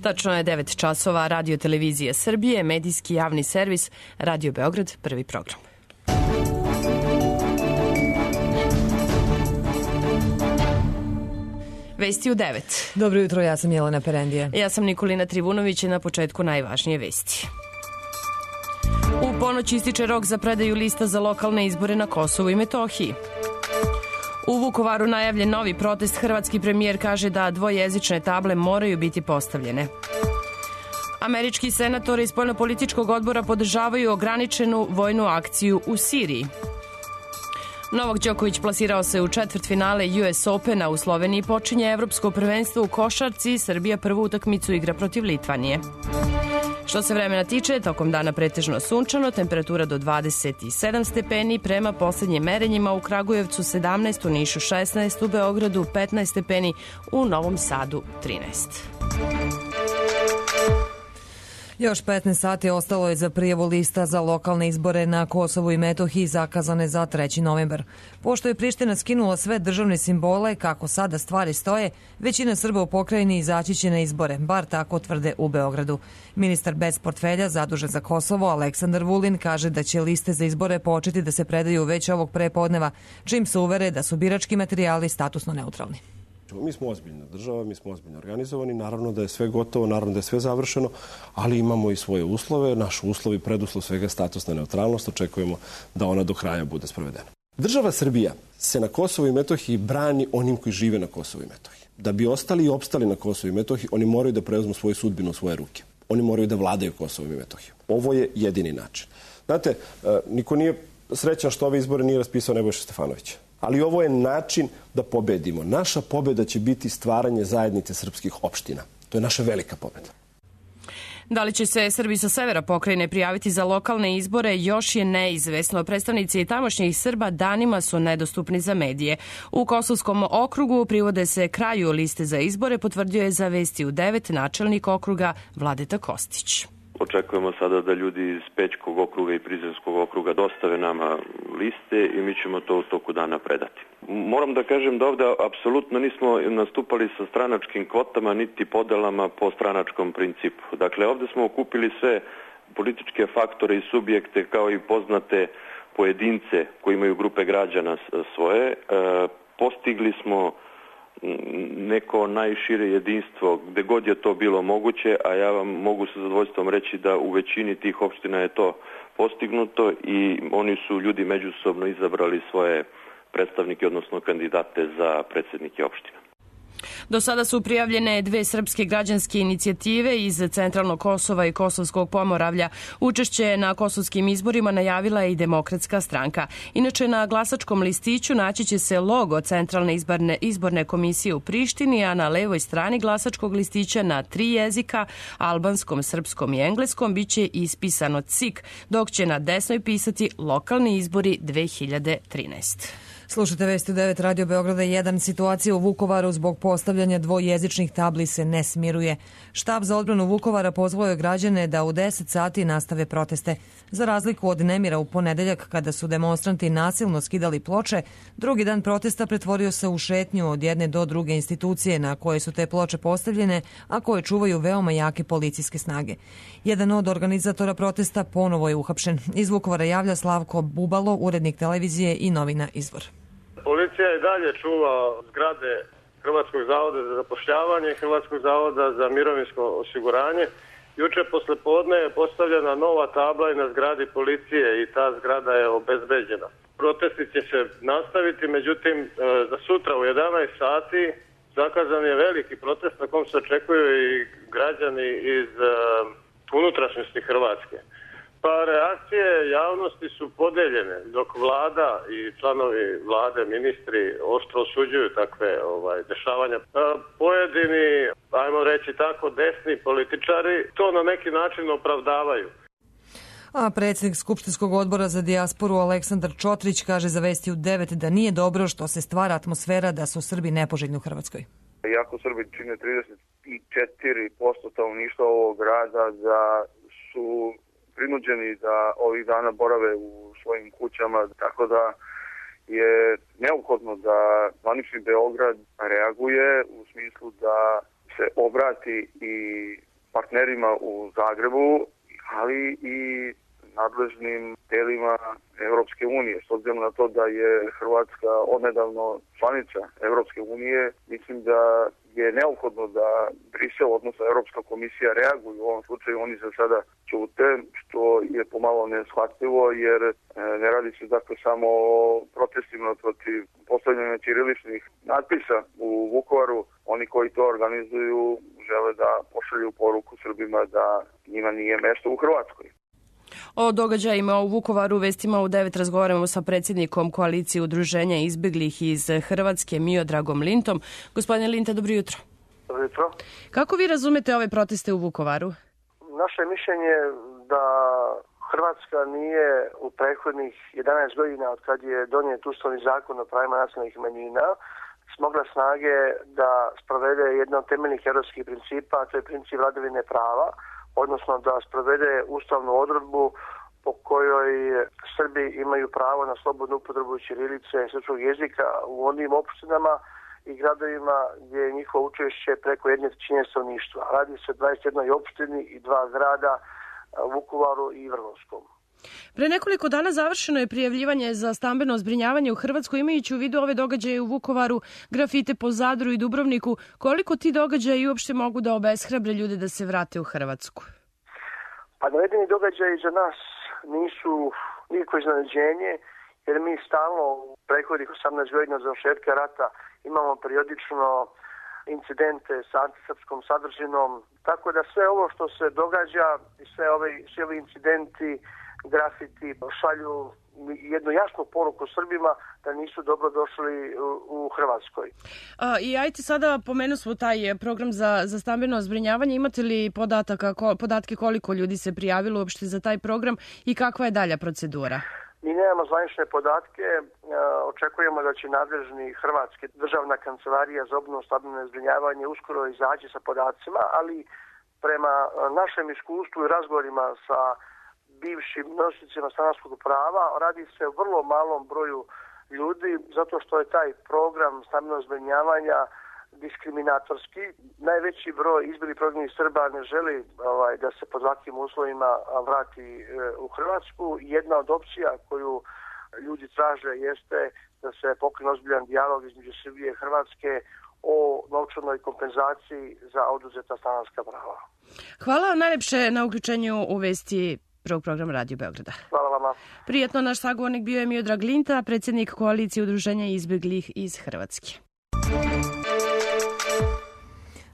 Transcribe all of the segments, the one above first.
Tačno je 9 časova. Radio Televizije Srbije, medijski javni servis, Radio Beograd, prvi program. Vesti u 9. Dobro jutro, ja sam Jelena Perendija. Ja sam Nikolina Trivunović i na početku najvažnije vesti. U ponoć ističe rok za predaju lista za lokalne izbore na Kosovu i Metohiji. U Vukovaru najavljen novi protest. Hrvatski premijer kaže da dvojezične table moraju biti postavljene. Američki senatori iz spoljnopolitičkog odbora podržavaju ograničenu vojnu akciju u Siriji. Novak Đoković plasirao se u četvrtfinale US Opena. U Sloveniji počinje evropsko prvenstvo u košarci. Srbija prvu utakmicu igra protiv Litvanije. Što se vremena tiče, tokom dana pretežno sunčano, temperatura do 27 stepeni, prema poslednjim merenjima u Kragujevcu 17, u Nišu 16, u Beogradu 15 stepeni, u Novom Sadu 13. Još 15 sati ostalo je za prijavu lista za lokalne izbore na Kosovu i Metohiji zakazane za 3. novembar. Pošto je Priština skinula sve državne simbole, kako sada stvari stoje, većina Srba u pokrajini izaći će na izbore, bar tako tvrde u Beogradu. Ministar bez portfelja zadužen za Kosovo, Aleksandar Vulin, kaže da će liste za izbore početi da se predaju već ovog prepodneva, čim se uvere da su birački materijali statusno neutralni. Mi smo ozbiljna država, mi smo ozbiljno organizovani, naravno da je sve gotovo, naravno da je sve završeno, ali imamo i svoje uslove. Naš uslov i preduslov svega je statusna neutralnost, očekujemo da ona do kraja bude sprovedena. Država Srbija se na Kosovu i Metohiji brani onim koji žive na Kosovu i Metohiji. Da bi ostali i opstali na Kosovu i Metohiji, oni moraju da preuzmu svoju sudbinu u svoje ruke. Oni moraju da vladaju Kosovom i Metohijom. Ovo je jedini način. Znate, niko nije srećan što ove izbore nije raspisao Nebojša Stefanović. Ali ovo je način da pobedimo. Naša pobeda će biti stvaranje zajednice srpskih opština. To je naša velika pobeda. Da li će se Srbi sa severa pokrajine prijaviti za lokalne izbore još je neizvesno. Predstavnici tamošnjih Srba danima su nedostupni za medije. U Kosovskom okrugu privode se kraju liste za izbore, potvrdio je za Vesti u 9 načelnik okruga Vladeta Kostić. Očekujemo sada da ljudi iz Pećkog okruga i Prizrenskog okruga dostave nama liste i mi ćemo to u toku dana predati. Moram da kažem da ovde apsolutno nismo nastupali sa stranačkim kvotama niti podelama po stranačkom principu. Dakle, ovde smo okupili sve političke faktore i subjekte kao i poznate pojedince koji imaju grupe građana svoje. Postigli smo neko najšire jedinstvo gde god je to bilo moguće, a ja vam mogu sa zadovoljstvom reći da u većini tih opština je to postignuto i oni su ljudi međusobno izabrali svoje predstavnike, odnosno kandidate za predsednike opština. Do sada su prijavljene 2 srpske građanske inicijative iz Centralnog Kosova i Kosovskog Pomoravlja. Učešće na kosovskim izborima najavila je i Demokratska stranka. Inače, na glasačkom listiću naći će se logo Centralne izborne komisije u Prištini, a na levoj strani glasačkog listića na 3 jezika, albanskom, srpskom i engleskom, biće ispisano CIK, dok će na desnoj pisati lokalni izbori 2013. Slušajte Vesti u 9 Radio Beograda 1. Situacija u Vukovaru zbog postavljanja dvojezičnih tabli se ne smiruje. Štab za odbranu Vukovara pozvao je građane da u 10 sati nastave proteste. Za razliku od nemira u ponedeljak kada su demonstranti nasilno skidali ploče, drugi dan protesta pretvorio se u šetnju od jedne do druge institucije na koje su te ploče postavljene, a koje čuvaju veoma jake policijske snage. Jedan od organizatora protesta ponovo je uhapšen. Iz Vukovara javlja Slavko Bubalo, urednik televizije i novina Izvor. Policija i dalje čuva zgrade Hrvatskog zavoda za zapošljavanje i Hrvatskog zavoda za mirovinsko osiguranje. Juče posle podne je postavljena nova tabla i na zgradi policije i ta zgrada je obezbeđena. Protesti će se nastaviti, međutim za sutra u 11 sati zakazan je veliki protest na kom se očekuju i građani iz unutrašnjosti Hrvatske. Pa reakcije javnosti su podeljene, dok vlada i članovi vlade, ministri oštro osuđuju takve dešavanja. Pojedini, ajmo reći tako, desni političari to na neki način opravdavaju. A predsjednik Skupštinskog odbora za dijasporu Aleksandar Čotrić kaže za Vesti u 9 da nije dobro što se stvara atmosfera da su Srbi nepoželjni u Hrvatskoj. Iako Srbi čine 34% stanovništva ovog grada, da su prinuđeni da ovih dana borave u svojim kućama, tako da je neophodno da zvanični Beograd reaguje u smislu da se obrati i partnerima u Zagrebu, ali i nadležnim telima Europske unije. S obzirom na to da je Hrvatska odnedavno članica Europske unije, mislim da je neophodno da Brisel, odnosno Europska komisija, reaguju. U ovom slučaju oni za sada ćute, što je pomalo neshvatljivo, jer ne radi se dakle samo o protestima protiv postavljanja ćiriličnih natpisa u Vukovaru. Oni koji to organizuju žele da pošalju poruku Srbima da njima nije mesto u Hrvatskoj. O događajima u Vukovaru u vestima u 9 razgovaramo sa predsjednikom koalicije udruženja izbeglih iz Hrvatske, Miodragom Lintom. Gospodine Linta, dobro jutro. Dobro jutro. Kako vi razumete ove proteste u Vukovaru? Naše mišljenje da Hrvatska nije u prethodnih 11 godina od kad je donijet Ustavni zakon o pravima nacionalnih manjina smogla snage da sprovede jedan od temeljnih europskih principa, a to je princip vladavine prava, odnosno da sprovede ustavnu odredbu po kojoj Srbi imaju pravo na slobodnu upotrebu ćirilice i srpskog jezika u onim opštinama i gradovima gdje je njihovo učešće preko 1/3 stanovništva. Radi se o 21 opštini i 2 grada, Vukovaru i Vrgorskom. Pre nekoliko dana završeno je prijavljivanje za stambeno zbrinjavanje u Hrvatskoj, imajući u vidu ove događaje u Vukovaru, grafite po Zadru i Dubrovniku. Koliko ti događaji uopšte mogu da obeshrabre ljude da se vrate u Hrvatsku? Pa navedeni događaji za nas nisu nikako iznenađenje, jer mi stalno u prethodnih 18 godina od završetka rata imamo periodično incidente sa antisrpskom sadržinom, tako da sve ovo što se događa i svi ovi incidenti, grafiti šalju jednu jasnu poruku Srbima da nisu dobro došli u Hrvatskoj. I ajte sada, pomenu smo taj program za stambeno zbrinjavanje. Imate li podatke koliko ljudi se prijavilo uopšte za taj program i kakva je dalja procedura? Mi nemamo zvanične podatke, očekujemo da će nadležni Hrvatski državna kancelarija za obnovu stambeno zbrinjavanje uskoro izaći sa podacima, ali prema našem iskustvu i razgovorima sa bivšim nositeljima stanarskog prava radi se o vrlo malom broju ljudi, zato što je taj program stambenog zbrinjavanja diskriminatorski. Najveći broj izbjeglih prognanih Srba ne želi da se pod ovakvim uslovima vrati u Hrvatsku. Jedna od opcija koju ljudi traže jeste da se pokrene ozbiljan dijalog između Srbije i Hrvatske o novčanoj kompenzaciji za oduzeta stanarska prava. Hvala najlepše na uključenju u vesti prvog programa Radio Beograda. Hvala vama. Prijetno, naš sagovornik bio je Miodrag Linta, predsjednik koalicije udruženja izbeglih iz Hrvatske.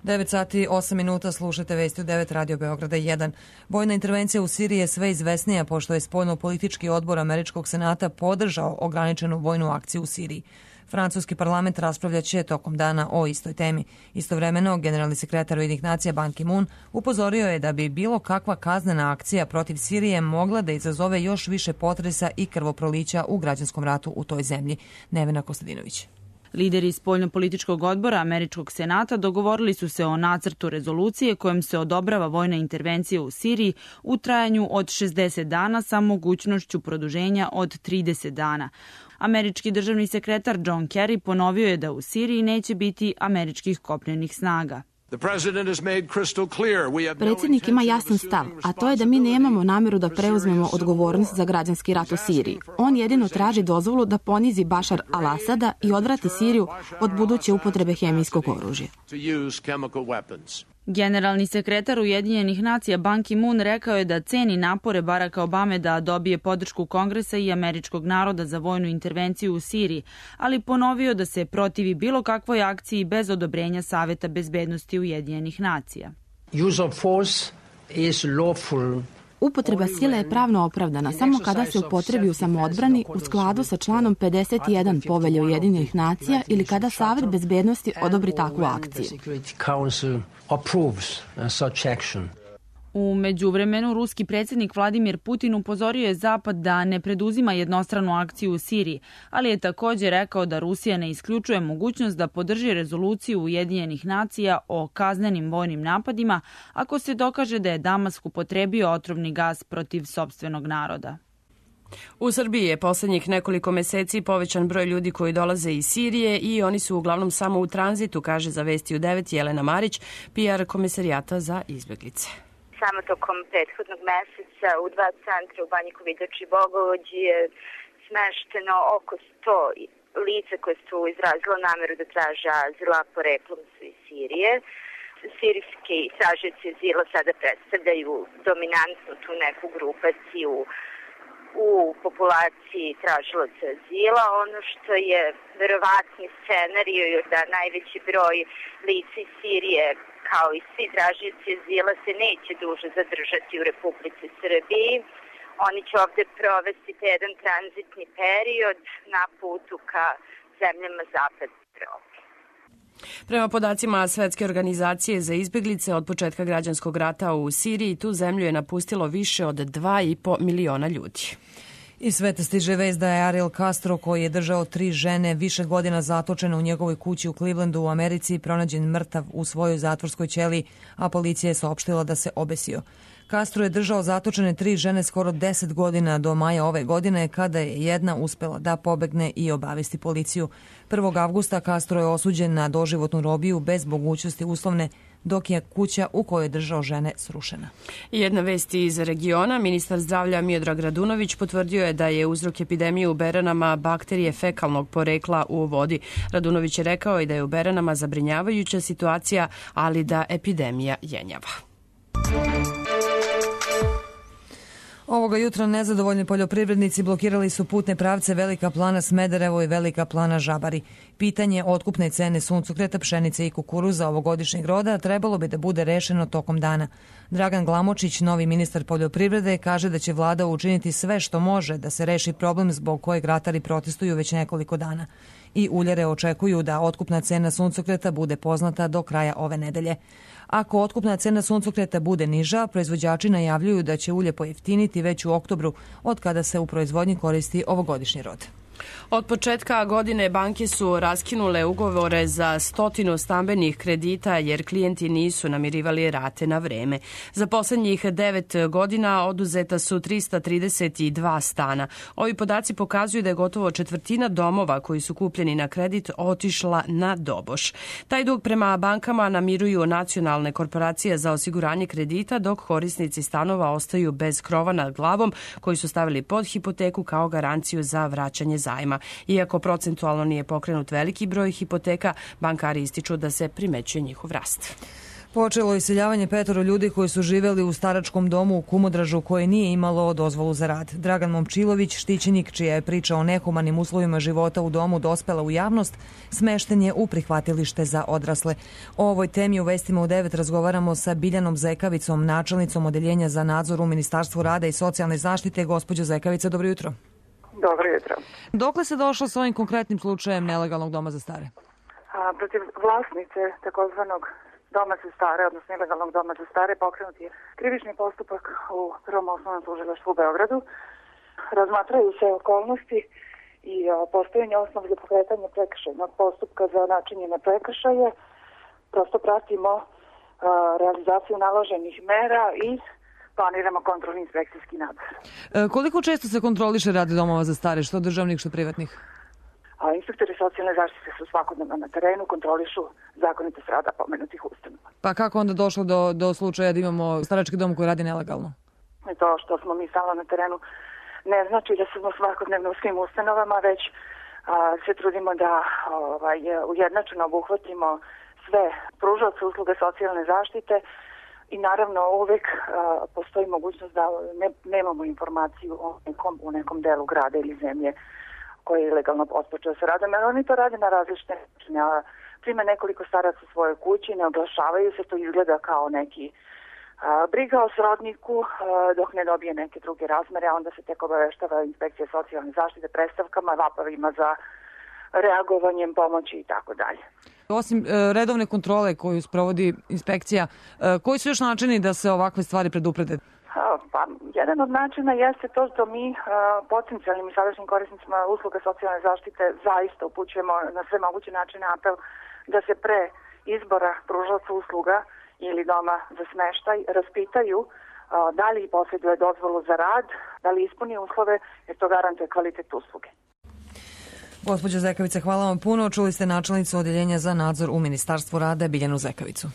9 sati 8 minuta, slušate vesti u 9 Radio Beograda 1. Vojna intervencija u Siriji je sve izvesnija pošto je spoljno-politički odbor Američkog senata podržao ograničenu vojnu akciju u Siriji. Francuski parlament raspravljaće tokom dana o istoj temi. Istovremeno, generalni sekretar Ujedinjenih nacija Ban Ki-moon upozorio je da bi bilo kakva kaznena akcija protiv Sirije mogla da izazove još više potresa i krvoprolića u građanskom ratu u toj zemlji. Nevena Kostadinović. Lideri spoljno-političkog odbora Američkog senata dogovorili su se o nacrtu rezolucije kojom se odobrava vojna intervencija u Siriji u trajanju od 60 dana sa mogućnošću produženja od 30 dana. Američki državni sekretar John Kerry ponovio je da u Siriji neće biti američkih kopnenih snaga. Predsjednik ima jasan stav, a to je da mi nemamo namjeru da preuzmemo odgovornost za građanski rat u Siriji. On jedino traži dozvolu da ponizi Bašar al-Asada i odvrati Siriju od buduće upotrebe hemijskog oružja. Generalni sekretar Ujedinjenih nacija Ban Ki-moon rekao je da ceni napore Baracka Obame da dobije podršku Kongresa i američkog naroda za vojnu intervenciju u Siriji, ali ponovio da se protivi bilo kakvoj akciji bez odobrenja Saveta bezbednosti Ujedinjenih nacija. Upotreba sile je pravno opravdana samo kada se upotrebi u samoodbrani u skladu sa članom 51 Povelje Ujedinjenih nacija ili kada Savet bezbednosti odobri takvu akciju. U međuvremenu, ruski predsjednik Vladimir Putin upozorio je Zapad da ne preduzima jednostranu akciju u Siriji, ali je također rekao da Rusija ne isključuje mogućnost da podrži rezoluciju Ujedinjenih nacija o kaznenim vojnim napadima ako se dokaže da je Damask upotrebio otrovni gas protiv sopstvenog naroda. U Srbiji je poslednjih nekoliko meseci povećan broj ljudi koji dolaze iz Sirije i oni su uglavnom samo u tranzitu, kaže za Vesti u 9 Jelena Marić, PR Komesarijata za izbeglice. Samo tokom prethodnog meseca u 2 centra u Banji Kovidač i Bogovođi je smešteno oko 100 lica koje su izrazila nameru da traže azila, poreklom su iz Sirije. Sirijski tražioci azila sada predstavljaju dominantnu tu neku grupaciju u populaciji tražilaca azila. Ono što je verovatni scenarij je da najveći broj lica iz Sirije, kao i svi tražioci azila, se neće duže zadržati u Republici Srbiji. Oni će ovde provesti jedan tranzitni period na putu ka zemljama zapadne Evrope. Prema podacima Svetske organizacije za izbeglice, od početka građanskog rata u Siriji tu zemlju je napustilo više od 2,5 miliona ljudi. Iz sveta stiže vest da je Ariel Castro, koji je držao 3 žene više godina zatočene u njegovoj kući u Clevelandu u Americi, pronađen mrtav u svojoj zatvorskoj ćeliji, a policija je saopštila da se obesio. Castro je držao zatočene 3 žene skoro 10 godina do maja ove godine, kada je jedna uspela da pobegne i obavesti policiju. 1. avgusta Castro je osuđen na doživotnu robiju bez mogućnosti uslovne, dok je kuća u kojoj je držao žene srušena. Jedna vest iz regiona. Ministar zdravlja Miodrag Radunović potvrdio je da je uzrok epidemije u beranama bakterije fekalnog porekla u vodi. Radunović je rekao i da je u beranama zabrinjavajuća situacija, ali da epidemija jenjava. Ovoga jutra nezadovoljni poljoprivrednici blokirali su putne pravce Velika Plana Smederevo i Velika Plana Žabari. Pitanje otkupne cene suncokreta, pšenice i kukuruza ovogodišnjeg roda trebalo bi da bude rešeno tokom dana. Dragan Glamočić, novi ministar poljoprivrede, kaže da će vlada učiniti sve što može da se reši problem zbog kojeg ratari protestuju već nekoliko dana. I uljare očekuju da otkupna cena suncokreta bude poznata do kraja ove nedelje. Ako otkupna cena suncokreta bude niža, proizvođači najavljuju da će ulje pojeftiniti već u oktobru, od kada se u proizvodnji koristi ovogodišnji rod. Od početka godine banke su raskinule ugovore za 100 stambenih kredita jer klijenti nisu namirivali rate na vreme. Za poslednjih 9 godina oduzeta su 332 stana. Ovi podaci pokazuju da je gotovo četvrtina domova koji su kupljeni na kredit otišla na doboš. Taj dug prema bankama namiruju nacionalne korporacije za osiguranje kredita, dok korisnici stanova ostaju bez krova nad glavom koji su stavili pod hipoteku kao garanciju za vraćanje zajma. Iako procentualno nije pokrenut veliki broj hipoteka, bankari ističu da se primećuje njihov rast. Počelo je iseljavanje 5 ljudi koji su živeli u staračkom domu u Kumodražu koje nije imalo dozvolu za rad. Dragan Momčilović, štićenik čija je priča o nehumanim uslovima života u domu dospela u javnost, smešten je u prihvatilište za odrasle. O ovoj temi u Vestima u 9 razgovaramo sa Biljanom Zekavicom, načelnicom Odeljenja za nadzor u Ministarstvu rada i socijalne zaštite. Gospođo Zekavica, dobro jutro. Dobro jutro. Dokle se došlo s ovim konkretnim slučajem nelegalnog doma za stare? Protiv vlasnice takozvanog doma za stare, odnosno ilegalnog doma za stare, pokrenut je krivični postupak u Prvom osnovnom tužilaštvu u Beogradu. Razmatraju se okolnosti i postojanje osnov za pokretanje prekršajnog postupka za načinjene prekršaje. Prosto pratimo realizaciju naloženih mera i planiramo kontrolni inspekcijski nadzor. Koliko često se kontroliše rad domova za stare, što državnih, što privatnih? Inspektori socijalne zaštite su svakodnevno na terenu, kontrolišu zakonitost rada pomenutih ustanova. Pa kako onda došlo do slučaja da imamo starački dom koji radi nelegalno? To što smo mi stalno na terenu ne znači da smo svakodnevno u svim ustanovama, već se trudimo da ujednačeno obuhvatimo sve pružaoce usluge socijalne zaštite. I naravno uvek postoji mogućnost da nemamo informaciju u nekom delu grada ili zemlje koji je ilegalno otpočeo sa radom. Jer oni to rade na različite načine. Prime nekoliko staraca u svojoj kući, ne oglašavaju se, to izgleda kao neki briga o srodniku dok ne dobije neke druge razmere, a onda se tek obaveštava inspekcija socijalne zaštite predstavkama, vapavima za reagovanjem, pomoći i tako dalje. Osim redovne kontrole koju sprovodi inspekcija, koji su još načini da se ovakve stvari preduprede? Pa, jedan od načina jeste to što mi potencijalnim i sadašnjim korisnicima usluga socijalne zaštite zaista upućujemo na sve moguće načine apel da se pre izbora pružaoca usluga ili doma za smeštaj raspitaju da li posjeduje dozvolu za rad, da li ispuni uslove, jer to garantuje kvalitet usluge. Gospođo Zekavice, hvala vam puno. Čuli ste načelnicu Odeljenja za nadzor u Ministarstvu rada Biljanu Zekavicu.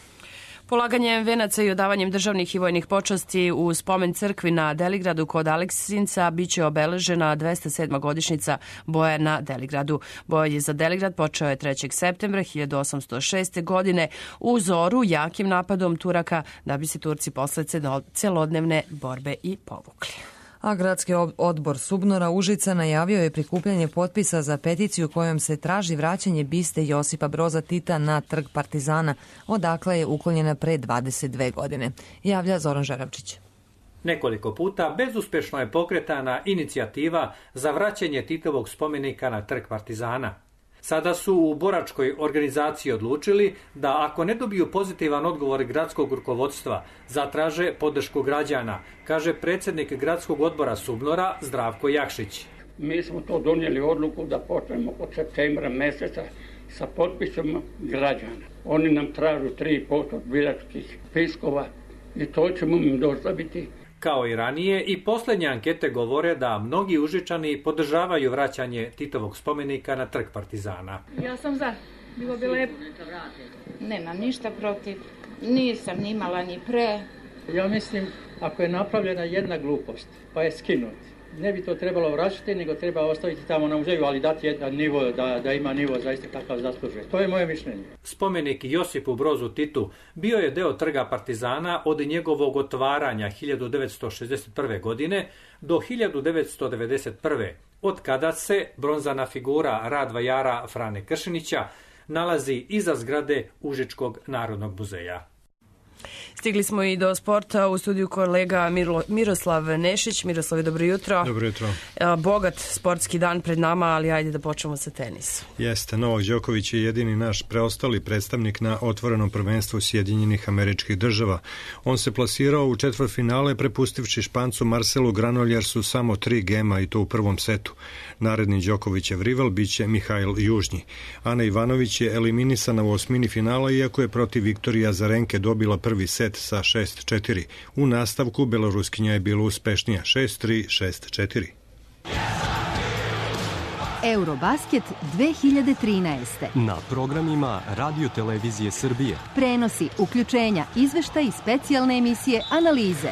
Polaganjem venaca i odavanjem državnih i vojnih počasti u spomen crkvi na Deligradu kod Aleksinca biće obeležena 207. godišnjica boja na Deligradu. Boj za Deligrad počeo je 3. septembra 1806. godine u zoru jakim napadom Turaka, da bi se Turci posle celodnevne borbe i povukli. A gradski odbor Subnora Užica najavio je prikupljanje potpisa za peticiju kojom se traži vraćanje biste Josipa Broza Tita na Trg Partizana, odakle je uklonjena pre 22 godine. Javlja Zoran Žeravčić. Nekoliko puta bezuspešno je pokretana inicijativa za vraćanje Titovog spomenika na Trg Partizana. Sada su u boračkoj organizaciji odlučili da ako ne dobiju pozitivan odgovor gradskog rukovodstva, zatraže podršku građana, kaže predsjednik gradskog odbora Subnora Zdravko Jakšić. Mi smo to donijeli odluku da počnemo od septembra mjeseca sa potpisom građana. Oni nam tražu 3% biračkih spiskova i to ćemo im dostaviti. Kao i ranije, i posljednje ankete govore da mnogi Užičani podržavaju vraćanje Titovog spomenika na Trg Partizana. Ja sam za. Bilo bi lepo. Nemam ništa protiv. Nisam ni imala ni pre. Ja mislim, ako je napravljena jedna glupost, pa je skinuti, ne bi to trebalo vraćati, nego treba ostaviti tamo na muzeju, ali dati jedan nivo, da ima nivo zaista kakav zaslužuje. To je moje mišljenje. Spomenik Josipu Brozu Titu bio je deo Trga Partizana od njegovog otvaranja 1961. godine do 1991. od kada se bronzana figura Radvajara Frane Kršinića nalazi iza zgrade Užičkog narodnog muzeja. Stigli smo i do sporta. U studiju kolega Miroslav Nešić. Miroslav, dobro jutro. Dobro jutro. Bogat sportski dan pred nama, ali ajde da počnemo sa tenisom. Jeste, Novak Đoković je jedini naš preostali predstavnik na otvorenom prvenstvu Sjedinjenih Američkih Država. On se plasirao u četvrtfinale prepustivši Špancu Marcelu Granoljersu samo 3 gema i to u prvom setu. Naredni Đokovićev rival biće Mihail Južnji. Ana Ivanović je eliminisana u osmini finala, iako je protiv Viktorije Azarenke dobila prvi set sa 6-4. U nastavku Beloruskinja je bila uspešnija 6-3, 6-4. Eurobasket 2013. Na programima Radio Televizije Srbije. Prenosi, uključenja, izveštaj i specijalne emisije, analize.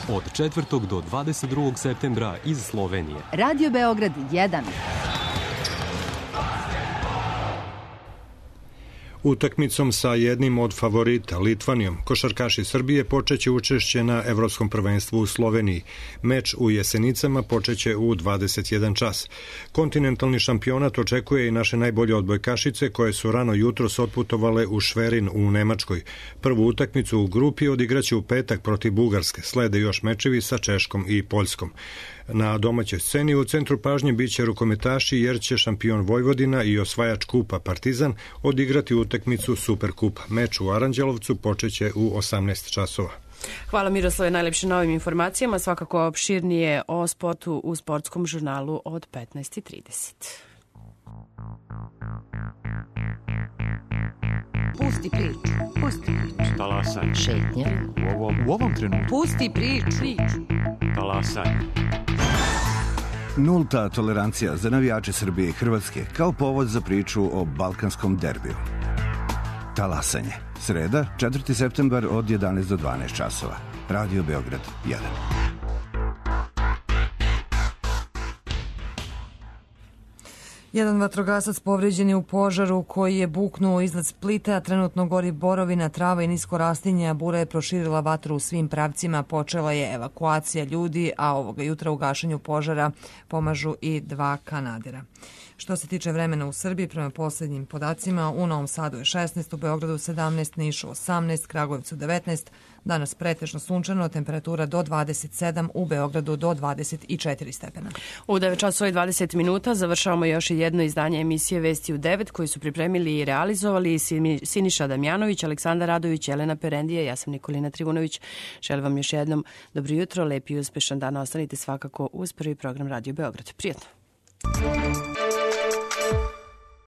Od 4. do 22. septembra iz Slovenije. Radio Beograd 1. Utakmicom sa jednim od favorita, Litvanijom, košarkaši Srbije počeće učešće na Evropskom prvenstvu u Sloveniji. Meč u Jesenicama počeće u 21 čas. Kontinentalni šampionat očekuje i naše najbolje odbojkašice koje su rano jutros otputovale u Šverin u Nemačkoj. Prvu utakmicu u grupi odigraće u petak protiv Bugarske. Slede još mečevi sa Češkom i Poljskom. Na domaćoj sceni u centru pažnje biće rukometaši jer će šampion Vojvodina i osvajač kupa Partizan odigrati utakmicu Superkupa. Meč u Aranđelovcu počeće u 18 časova. Hvala Miroslave najlepše na ovim informacijama. Svakako opširnije o sportu u sportskom žurnalu od 15:30. Pusti priču. Pusti priču. Talasaj. Šetnja. U ovom trenutku. Pusti priču. Talasaj. Nulta tolerancija za navijače Srbije i Hrvatske kao povod za priču o balkanskom derbiju. Talasanje. Sreda, 4. septembar od 11 do 12 časova. Radio Beograd 1. Jedan vatrogasac povređen je u požaru koji je buknuo iznad Splita, a trenutno gori borovina, trava i nisko rastinje, a bura je proširila vatru u svim pravcima. Počela je evakuacija ljudi, a ovoga jutra u gašenju požara pomažu i 2 kanadera. Što se tiče vremena u Srbiji, prema posljednjim podacima, u Novom Sadu je 16, u Beogradu 17, Nišu 18, Kragujevcu 19, danas pretežno sunčano, temperatura do 27, u Beogradu do 24 stepena. U 9 časova i 20 minuta završavamo još i jedno izdanje emisije Vesti u 9 koji su pripremili i realizovali Siniša Damjanović, Aleksandar Radović, Jelena Perendija, ja sam Nikolina Trivunović. Želim vam još jednom dobro jutro, lep i uspešan dan. Ostanite svakako uz prvi program Radio Beograd. Prijetno.